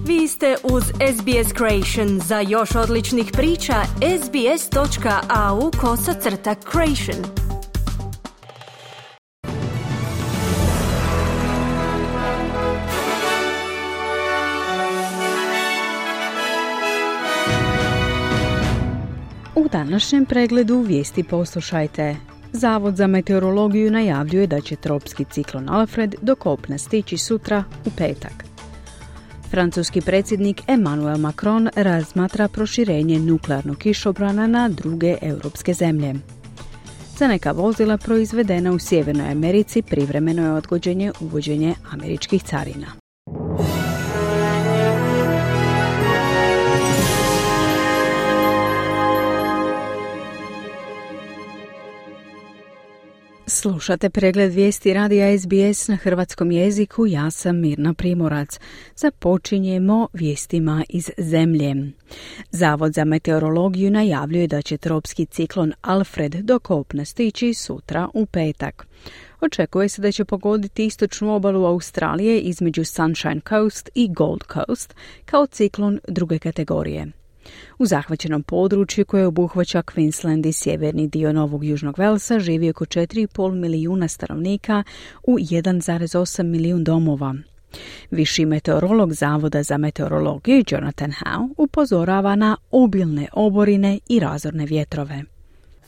Vi ste uz SBS Creation. Za još odličnih priča, sbs.au/creation. U današnjem pregledu vijesti poslušajte. Zavod za meteorologiju najavljuje da će tropski ciklon Alfred do kopna stići sutra u petak. Francuski predsjednik Emmanuel Macron razmatra proširenje nuklearnog kišobrana na druge europske zemlje. Za neka vozila proizvedena u Sjevernoj Americi privremeno je odgođenje uvođenje američkih carina. Slušate pregled vijesti radija SBS na hrvatskom jeziku, ja sam Mirna Primorac. Započinjemo vijestima iz zemlje. Zavod za meteorologiju najavljuje da će tropski ciklon Alfred do kopna stići sutra u petak. Očekuje se da će pogoditi istočnu obalu Australije između Sunshine Coast i Gold Coast kao ciklon druge kategorije. U zahvaćenom području koje obuhvaća Queensland i sjeverni dio Novog Južnog Velsa živi oko 4,5 milijuna stanovnika u 1,8 milijun domova. Viši meteorolog Zavoda za meteorologiju Jonathan Howe upozorava na obilne oborine i razorne vjetrove.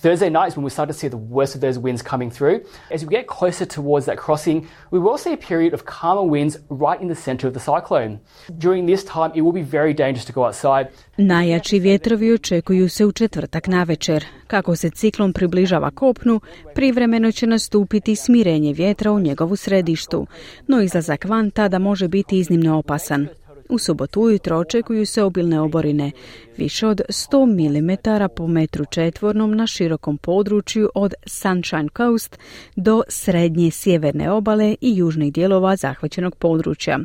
Thursday night is when we start to see the worst of those winds coming through. As we get closer towards that crossing, we will see a period of calmer winds right in the center of the cyclone. During this time, it will be very dangerous to go outside. Najjači vjetrovi očekuju se u četvrtak navečer. Kako se ciklon približava kopnu, privremeno će nastupiti smirenje vjetra u njegovu središtu, no izlazak van tada može biti iznimno opasan. U subotu ujutro očekuju se obilne oborine, više od 100 mm po metru četvornom na širokom području od Sunshine Coast do srednje sjeverne obale i južnih dijelova zahvaćenog područja.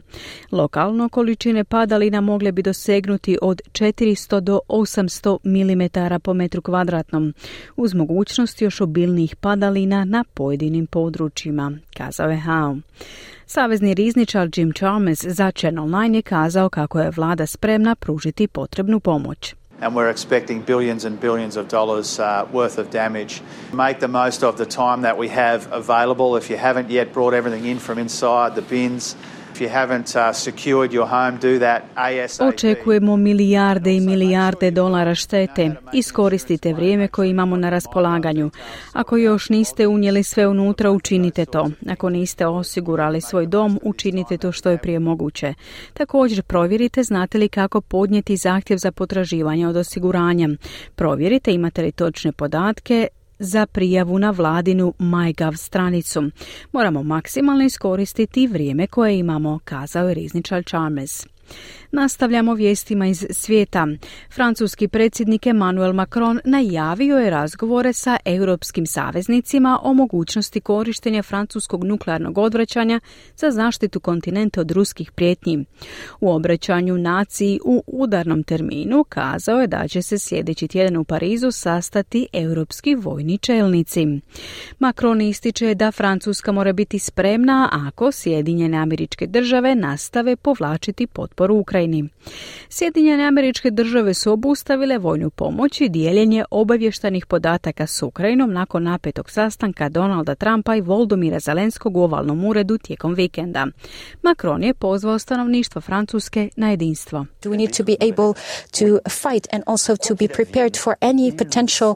Lokalno količine padalina mogle bi dosegnuti od 400 do 800 mm po metru kvadratnom, uz mogućnost još obilnijih padalina na pojedinim područjima, kazao je Howe. Savezni rizničar Jim Chalmers za Channel 9 je kazao kako je vlada spremna pružiti potrebnu pomoć. And we're expecting billions and billions of dollars worth of damage. Make the most of the time that we have available. If you haven't yet brought everything in from inside the bins, if you haven't secured your home, do that ASAP. Očekujemo milijarde i milijarde dolara štete. Iskoristite vrijeme koje imamo na raspolaganju. Ako još niste unijeli sve unutra, učinite to. Ako niste osigurali svoj dom, učinite to što je prije moguće. Također provjerite znate li kako podnijeti zahtjev za potraživanje od osiguranja. Provjerite imate li točne podatke za prijavu na vladinu MyGov stranicu. Moramo maksimalno iskoristiti vrijeme koje imamo, kazao je rizničar Chalmers. Nastavljamo vijestima iz svijeta. Francuski predsjednik Emmanuel Macron najavio je razgovore sa europskim saveznicima o mogućnosti korištenja francuskog nuklearnog odvraćanja za zaštitu kontinenta od ruskih prijetnji. U obraćanju naciji u udarnom terminu kazao je da će se sljedeći tjedan u Parizu sastati europski vojni čelnici. Macron ističe da Francuska mora biti spremna ako Sjedinjene Američke Države nastave povlačiti potporu Ukrajini. Sjedinjene Američke Države su obustavile vojnu pomoć i dijeljenje obavještajnih podataka s Ukrajinom nakon napetog sastanka Donalda Trumpa i Volodymyra Zelenskog u ovalnom uredu tijekom vikenda. Macron je pozvao stanovništvo Francuske na jedinstvo. We need to be able to fight and also to be prepared for any potential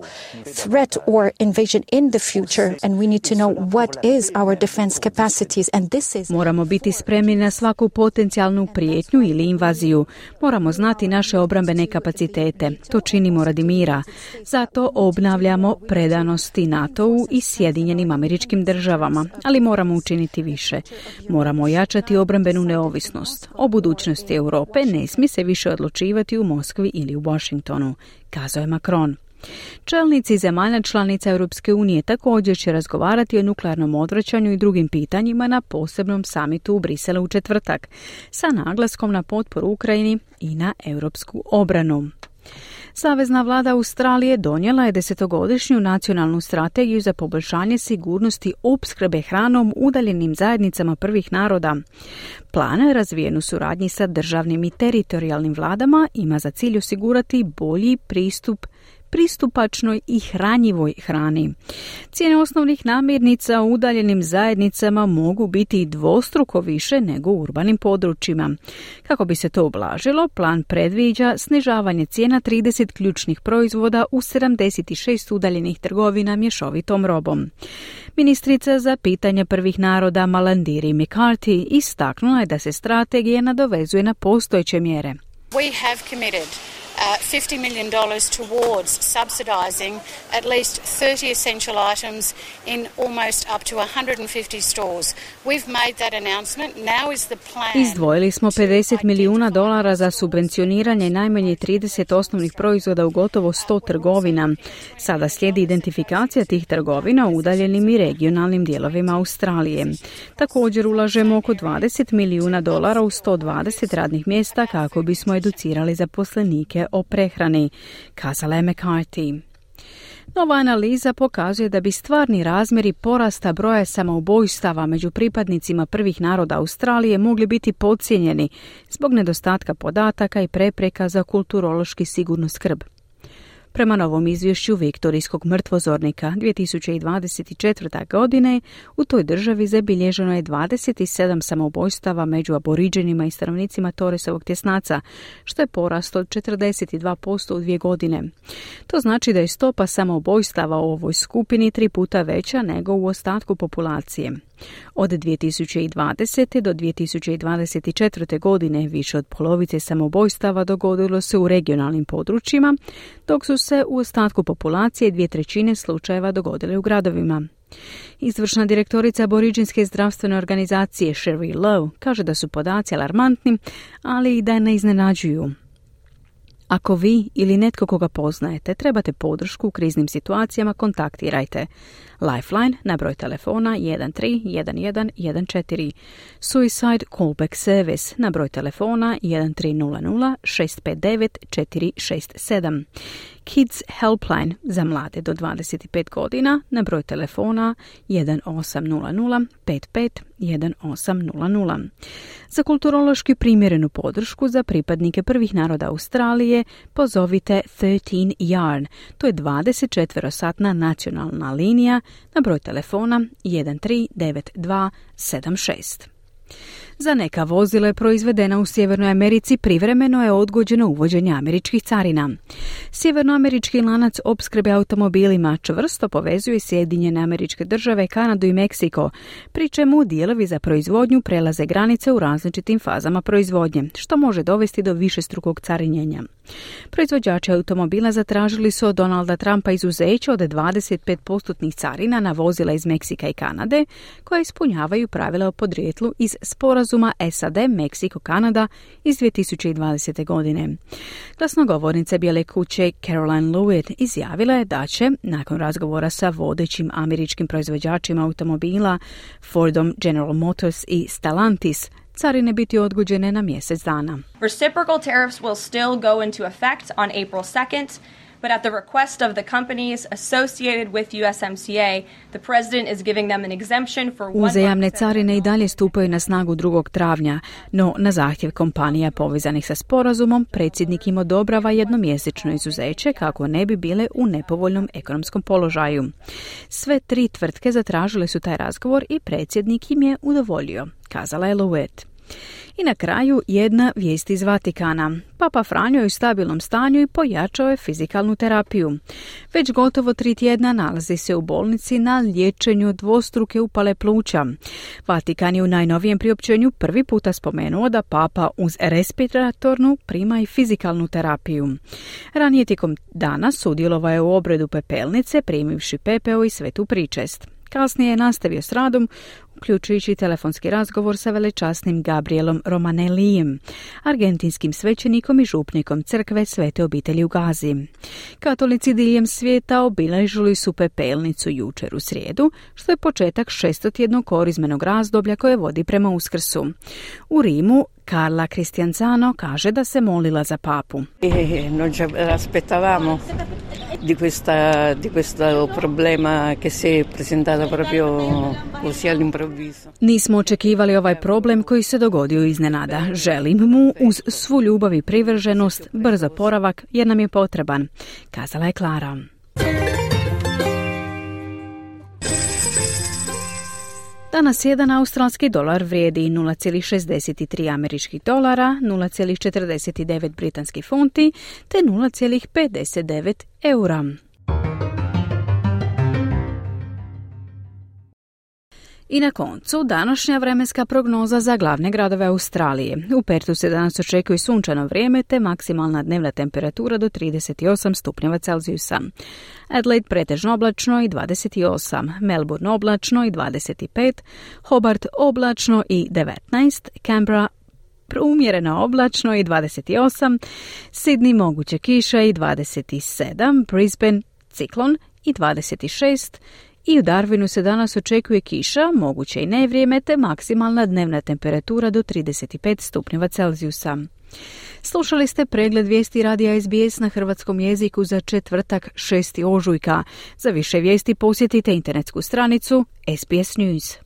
threat or invasion in the future, and we need to know what is our defense capacities, and this is. Moramo biti spremni na svaku potencijalnu prijetnju ili invaziju. Moramo znati naše obrambene kapacitete. To činimo radi mira. Zato obnavljamo predanosti NATO-u i Sjedinjenim Američkim Državama, ali moramo učiniti više. Moramo ojačati obrambenu neovisnost. O budućnosti Europe ne smije se više odlučivati u Moskvi ili u Washingtonu, kazao je Macron. Čelnici zemalja članica Europske unije također će razgovarati o nuklearnom odvraćanju i drugim pitanjima na posebnom samitu u Briselu u četvrtak, sa naglaskom na potporu Ukrajini i na europsku obranu. Savezna vlada Australije donijela je 10-godišnju nacionalnu strategiju za poboljšanje sigurnosti opskrbe hranom udaljenim zajednicama prvih naroda. Plan, razvijen u suradnji sa državnim i teritorijalnim vladama, ima za cilj osigurati bolji pristupačnoj i hranjivoj hrani. Cijene osnovnih namirnica u udaljenim zajednicama mogu biti dvostruko više nego u urbanim područjima. Kako bi se to ublažilo, plan predviđa snižavanje cijena 30 ključnih proizvoda u 76 udaljenih trgovina mješovitom robom. Ministrica za pitanja prvih naroda Malandiri McCarthy istaknula je da se strategija nadovezuje na postojeće mjere. We have committed $50 million towards subsidising at least 30 essential items in almost up to 150 stores. We've made that announcement. Now is the plan. Izdvojili smo $50 milijuna za subvencioniranje najmanje 30 osnovnih proizvoda u gotovo 100 trgovina. Sada slijedi identifikacija tih trgovina u udaljenim i regionalnim dijelovima Australije. Također ulažemo oko $20 milijuna u 120 radnih mjesta kako bismo educirali zaposlenike o prehrani, kazala je McCarthy. Nova analiza pokazuje da bi stvarni razmjeri porasta broja samoubojstava među pripadnicima prvih naroda Australije mogli biti podcijenjeni zbog nedostatka podataka i prepreka za kulturološki sigurnu skrb. Prema novom izvješću Viktorijskog mrtvozornika 2024. godine u toj državi zabilježeno je 27 samoubojstava među aboriđenima i stanovnicima Torresovog tjesnaca, što je porast od 42% u 2 godine. To znači da je stopa samoubojstava u ovoj skupini 3 puta veća nego u ostatku populacije. Od 2020. do 2024. godine više od polovice samoubojstava dogodilo se u regionalnim područjima, dok su se u ostatku populacije 2/3 slučajeva dogodile u gradovima. Izvršna direktorica aboriđinske zdravstvene organizacije Sherry Lowe kaže da su podaci alarmantni, ali i da ne iznenađuju. Ako vi ili netko koga poznajete trebate podršku u kriznim situacijama, kontaktirajte Lifeline na broj telefona 131114, Suicide Callback Service na broj telefona 1300 659 467, Kids Helpline za mlade do 25 godina na broj telefona 1800 55 1800. Za kulturološki primjerenu podršku za pripadnike prvih naroda Australije pozovite 13 Yarn, to je 24-satna nacionalna linija na broj telefona 139276. Za neka vozila proizvedena u Sjevernoj Americi privremeno je odgođeno uvođenje američkih carina. Sjevernoamerički lanac opskrbe automobilima čvrsto povezuje Sjedinjene Američke Države, Kanadu i Meksiko, pri čemu dijelovi za proizvodnju prelaze granice u različitim fazama proizvodnje, što može dovesti do višestrukog carinjenja. Proizvođači automobila zatražili su od Donalda Trumpa izuzeće od 25% carina na vozila iz Meksika i Kanade, koja ispunjavaju pravila o podrijetlu iz sporazuma SAD-Meksiko-Kanada iz 2020. godine. Glasnogovornica Bijele kuće Caroline Lewitt izjavila je da će, nakon razgovora sa vodećim američkim proizvođačima automobila Fordom, General Motors i Stellantis, carine biti odgođene na mjesec dana. Reciprocal tariffs will still go into effect on April 2nd, but at the request of the companies associated with USMCA, the president is giving them an exemption for one. Uzajamne carine i dalje stupaju na snagu 2. travnja, no na zahtjev kompanija povezanih sa sporazumom, predsjednik im odobrava jednomjesečno izuzeće kako ne bi bile u nepovoljnom ekonomskom položaju. Sve 3 tvrtke zatražile su taj razgovor i predsjednik im je udovoljio, kazala je Lewitt. I na kraju jedna vijest iz Vatikana. Papa Franjo je u stabilnom stanju i pojačao je fizikalnu terapiju. Već gotovo 3 tjedna nalazi se u bolnici na liječenju od dvostruke upale pluća. Vatikan je u najnovijem priopćenju prvi puta spomenuo da Papa uz respiratornu prima i fizikalnu terapiju. Ranije tijekom dana sudjelovao je u obredu pepelnice, primivši pepeo i svetu pričest. Kasnije je nastavio s radom, uključujući telefonski razgovor sa velečasnim Gabrielom Romanellijem, argentinskim svećenikom i župnikom crkve Svete obitelji u Gazi. Katolici diljem svijeta obilježili su pepelnicu jučer u srijedu, što je početak 600-tjednog korizmenog razdoblja koje vodi prema Uskrsu. U Rimu Carla Cristianzano kaže da se molila za papu. Non ci aspettavamo di questo problema che si è presentato proprio così all'improvviso. Nismo očekivali ovaj problem koji se dogodio iznenada. Želim mu uz svu ljubav i privrženost brzo oporavak jer nam je potreban, kazala je Klara. Danas jedan australski dolar vrijedi 0,63 američkih dolara, 0,49 britanskih funti te 0,59 eura. I na koncu, današnja vremenska prognoza za glavne gradove Australije. U Pertu se danas očekuje sunčano vrijeme te maksimalna dnevna temperatura do 38 stupnjeva Celzijusa. Adelaide pretežno oblačno i 28, Melbourne oblačno i 25, Hobart oblačno i 19, Canberra umjereno oblačno i 28, Sydney moguće kiša i 27, Brisbane ciklon i 26, i u Darwinu se danas očekuje kiša, moguće i nevrijeme, te maksimalna dnevna temperatura do 35 stupnjeva Celzijusa. Slušali ste pregled vijesti radija SBS na hrvatskom jeziku za četvrtak 6. ožujka. Za više vijesti posjetite internetsku stranicu SBS News.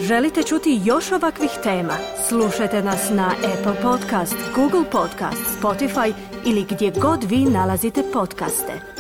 Želite čuti još ovakvih tema? Slušajte nas na Apple Podcast, Google Podcast, Spotify ili gdje god vi nalazite podcaste.